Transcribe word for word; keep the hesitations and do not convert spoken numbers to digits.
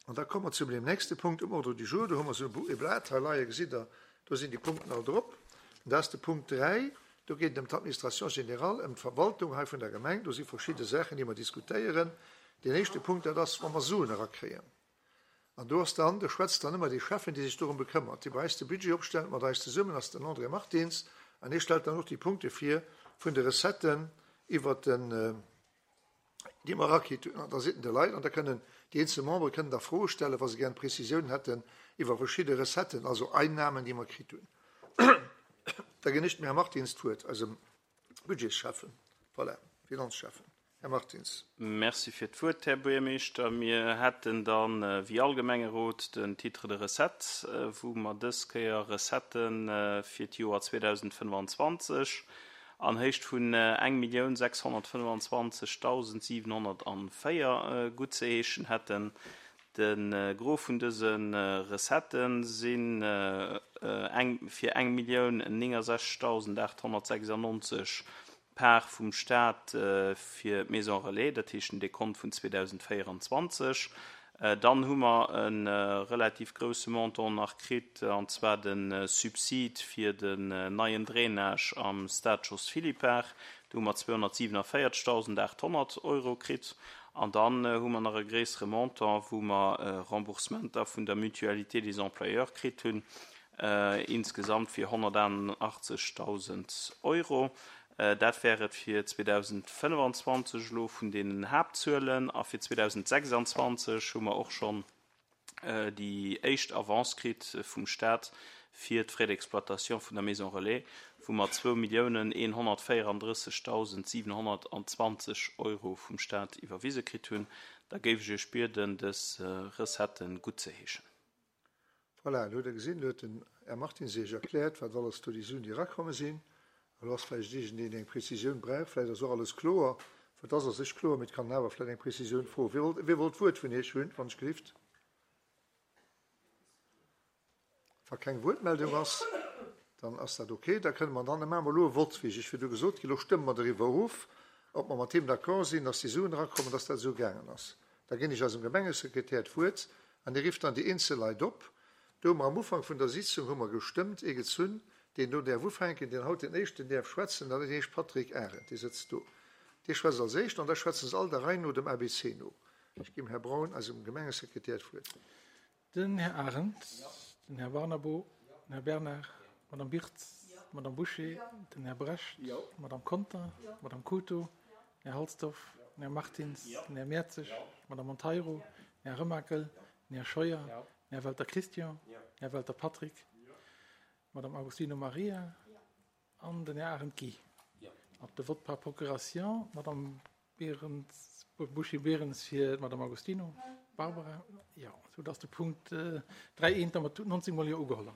An da komme mer zu deem nächste Punkt um Ordre du jour. Do hu mer esou e Blat hei leie, gesitt Der, do sinn déi Punkten all drop. An dat ass de Punkt dräi, do geet et ëm d'Administration générale, ëm d'Verwaltung hei vun der Gemeng. Do si verschidde Saachen, déi mer diskutéieren. Deen éischte Punkt, dat ass, wa mer Suen erakréien. An do ass dann, do schwätzt dann ëmmer dee Schäffen, dee sech dorëm bekëmmert, dee bei eis de Budget opstellt, mat eis zesummen, ass den André Martins, an hie stellt dann och déi Punkte vir vun de Recetten iwwert den, déi mer erakritt hunn. An da sitten de Leit an da kënnen déi eenzel Membere kënnen da Froe stellen, wa se gären Prezisiounen hätten iwwer verschidde Recetten, also Einnahmen, déi mer kritt hunn. Da ginn ech dem Här Martins d'Wuert, eisem Budgetsschäffen, voilà, Finanzschäffen. Här Martins. Merci fir d'Wuert, Här Buergermeeschter. Mir hätten dann, wéi all Gemengerot, den Titre de recettes, wou mer dës Kéier Recettë fir d'Joer zweedausendfënnfanzwanzeg an Héicht vun eng Millioun sechshonnertfënnfanzwanzegdausend siwenhonnertanvéier guttzeheeschen hätten. De Gros vun dëse Recettë sinn eng fir eng Millioun néngasechzegdausend aathonnertsechsannonzeg Part vum Staat fir d'Maison Relais, dat heescht den Dekont vun zweedausendvéieranzwanzeg. Dann hu mer e relativ grousse Montant nach kritt, an zwar de Subsid fir den neien Drainage am Stade Jos Philippart. Do hu mer zweehonnertsiwenavéierzegdausendaathonnert Euro kritt. An dann hu mer nach e gréissere Montant, wou mer Remboursementer vun der Mutualité des employeurs kritt hunn, insgesamt fir honnertachtachtzegdausend Euro. Dat wär et fir zweedausendfënnfanzwanzeg elo vun deenen Haaptzuelen. A fir zweedausendsechsanzwanzeg hu mer och schonn déi éischt Avance kritt vum Staat fir d'Frais d'exploitation vun der Maison Relais, wou mer zwou Milliounen eenhonnertvéierandrëssegdausend siwenhonnertanzwanzeg Euro vum Staat iwwerwise kritt hunn. Da géif ech Iech bieden, dës Recetten guttzeheeschen. Voilà, elo hutt Der gesinn, elo huet den Här Martins Iech erkläert, wat alles do déi Suen, déi erakomme sinn. Elo ass vläicht iergendeen, deen eng Prezisioun brauch. Vläicht ass och alles kloer. Et ass a sech kloer, mee et kann een awer vläicht eng Prezisioun froen. Wie wollt, wie wollt d'Wuert vun Iech hunn, wann ech gelift? Wa keng Wuertmeldung ass, dann ass dat okay. Da kënne mer dann, da maache mer elo e Vott, wéi ech Iech virdu gesot ginn. Elo stëmme mer doriwwer of, ob mer mat deem d'accord sinn, dass déi Suen erakommen, dass dat esou gaangen ass. Da ginn ech eisem Gemengesekretär d'Wuert an dee rifft dann déi eenzel Leit op. Do hu mer am Ufank vun der Sitzung hu mer gestëmmt, ee gezunn, deen do däerf ufänken, deen haut den éischten däerf schwätzen, dat heescht Patrick Arendt, dee sëtzt do. Dee schwätzt als éischten an da schwätzen se all der Rei no, dem A B C no. Ech ginn dem Här Braun, eisem Gemengesekretär, d'Wuert. Den Här Arendt, den Här Barnabo, den Här Bernard, d'Madame Birtz, d'Madame Bouché, den Här Brecht, d'Madame Conter, d'Madame Couto, den Här Halsdorf, den Här Martins, den Här Mertzig, d'Madame Monteiro, den Här Remakel, den Här Scheuer, den Här Welter Christian, den Här Welter Patrick, d'Madame Agostino Maria an den Här Arendt Guy. Op de Vote par procuration, d'Madame Berens, Bouché-Berens fir d'Madame Agostino Barbara, jo, soudass de Punkt dräi eent da mat nonzéng mol Jo ugeholl ass.